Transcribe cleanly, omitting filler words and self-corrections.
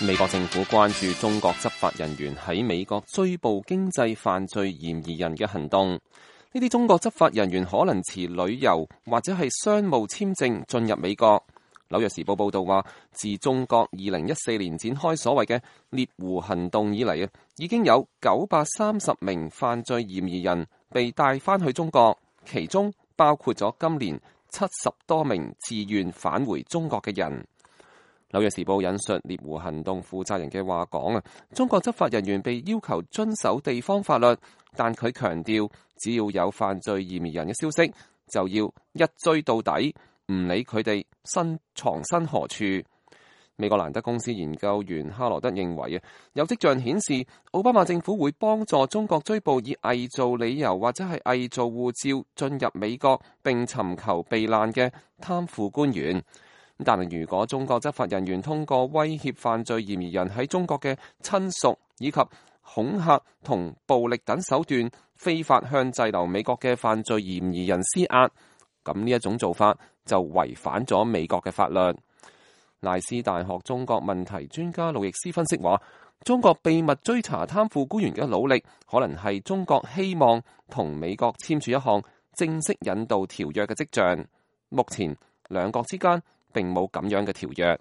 美國政府關注中國執法人員喺美國追捕經濟犯罪嫌疑人嘅行動。呢啲中國執法人員可能持旅遊或者係商務簽證進入美國。紐約時報報道話，自中國2014年展開所謂嘅獵狐行動以嚟，已經有930名犯罪嫌疑人被帶返去中國，其中包括咗今年70多名自願返回中國嘅人。紐約時報引述獵狐行動負責人嘅話講中國執法人員被要求遵守地方法律，但佢強調，只要有犯罪嫌疑人嘅消息，就要一追到底，唔理佢哋藏身何處。美國蘭德公司研究員哈羅德認為有跡象顯示奧巴馬政府會幫助中國追捕以偽造理由或者係偽造護照進入美國並尋求避難嘅貪腐官員。但係如果中國執法人員通過威脅犯罪嫌疑人喺中國嘅親屬以及恐嚇同暴力等手段非法向滯留美國嘅犯罪嫌疑人施壓，咁呢一種做法就違反咗美國嘅法律。賴斯大學中國問題專家路易斯分析話，中國秘密追查貪腐官員嘅努力，可能係中國希望同美國簽署一項正式引渡條約嘅跡象。目前兩國之間並冇咁樣嘅條約。